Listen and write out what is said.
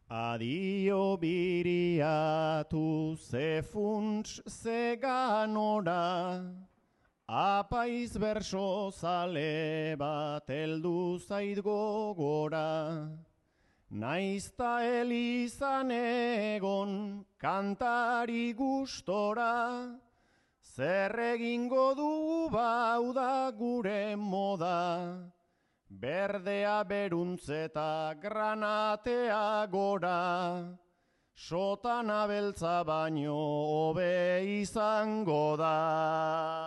Adio biriatu ze funts ze ganora, apaiz berso zale bat heldu zait gogora. Naizta elizan egon kantari gustora, zer egingo du bau da gure moda. Berdea beruntzeta granatea gora, sotana beltza baino hobe izango da.